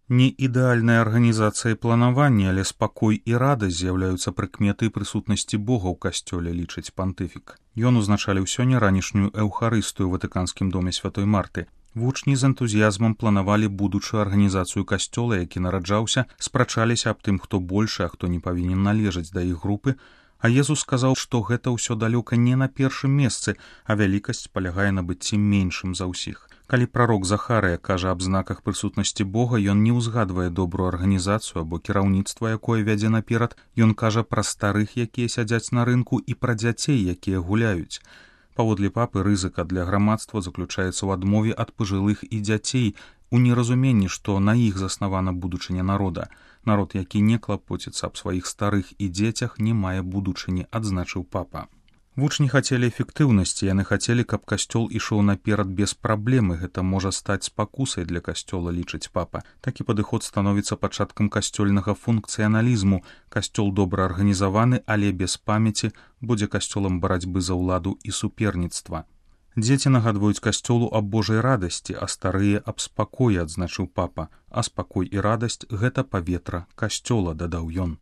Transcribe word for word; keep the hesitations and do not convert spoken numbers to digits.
Не ідэальная арганізацыя і планаванне, але спакой і радасць з'яўляюцца прыкметай прысутнасці Бога ў касцёле, лічыць пантыфік. Ён узначаліў сёння ранішнюю эўхарыстыю ў Ватыканскім доме святой Марты. Вучні з энтузіязмам планавалі будучую арганізацыю касцёла, які нараджаўся, спрачаліся аб тым, хто большы, а хто не павінен належаць да іх групы, а Езус сказаў, што гэта ўсё далёка не на першым месцы, а вялікасць палягае на быцці меншым за ўсіх. Калі прарок Захарыя кажа аб знаках прысутнасці Бога, ён не ўзгадвае добрую арганізацыю або кіраўніцтва, якое вядзе наперад, ён кажа пра старых, якія сядзяць на рынку, і пра дзяцей, якія гуляюць. Паводле папы, рызыка для грамадства заключаецца ў адмове ад пажылых і дзяцей, у неразуменні, што на іх заснавана будучыня народа. Народ, які не клапоціцца аб сваіх старых і дзецях, не мае будучыні, адзначыў папа. Вучні хацелі эфектыўнасці, яны хацелі, каб касцёл ішоў наперад без праблемы, гэта можа стаць спакусай для касцёла, лічыць папа. Такі падыход становіцца пачаткам касцёльнага функцыяналізму. Касцёл добра арганізаваны, але без памяці будзе касцёлам барацьбы за ўладу і суперніцтва. Дзеці нагадваюць касцёлу аб Божай радасці, а старыя аб спакоі, адзначыў папа. А спакой і радасць – гэта паветра касцёла, дадаў ён.